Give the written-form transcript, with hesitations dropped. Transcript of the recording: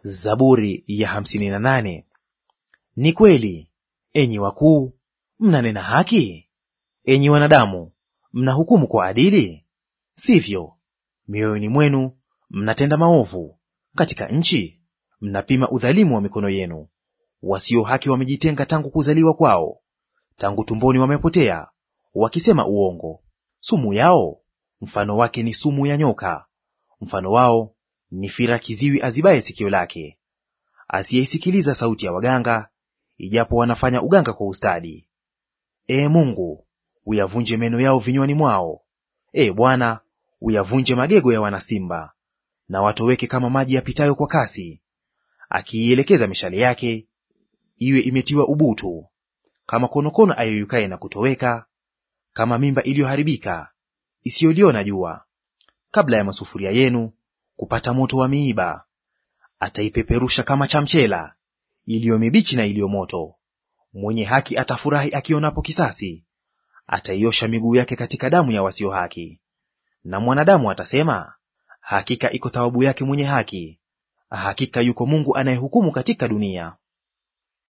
Zaburi ya 58. Ni kweli, enyi wakuu, mnanena haki? Enyi wanadamu, mnahukumu kwa adili? Sivyo, mioyoni mwenu mnatenda maovu, katika nchi mnapima udhalimu wa mikono yenu. Wasio haki wamejitenga tangu kuzaliwa kwao, tangu tumboni wamepotea, wakisema uongo. Sumu yao mfano wake ni sumu ya nyoka, mfano wao ni fira kiziwi azibaye sikio lake, asiyeisikiliza sauti ya waganga, ijapo wanafanya uganga kwa ustadi. Ee Mungu, uyavunje meno yao vinywani mwao. Ee Bwana, uyavunje magego ya wanasimba. Na watoweke kama maji yapitayo kwa kasi, akiielekeza mishale yake iwe imetiwa ubutu, kama konokono ayeyukaye na kutoweka, kama mimba iliyoharibika isiyoliona jua. Kabla ya masufuria yenu kupata moto wa miiba, ataipeperusha kama chamchela iliyo mibichi na iliyo moto. Mwenye haki atafurahi akionapo kisasi, ataiosha miguu yake katika damu ya wasio haki. Na mwanadamu atasema, hakika iko thawabu yake mwenye haki, hakika yuko Mungu anayehukumu katika dunia.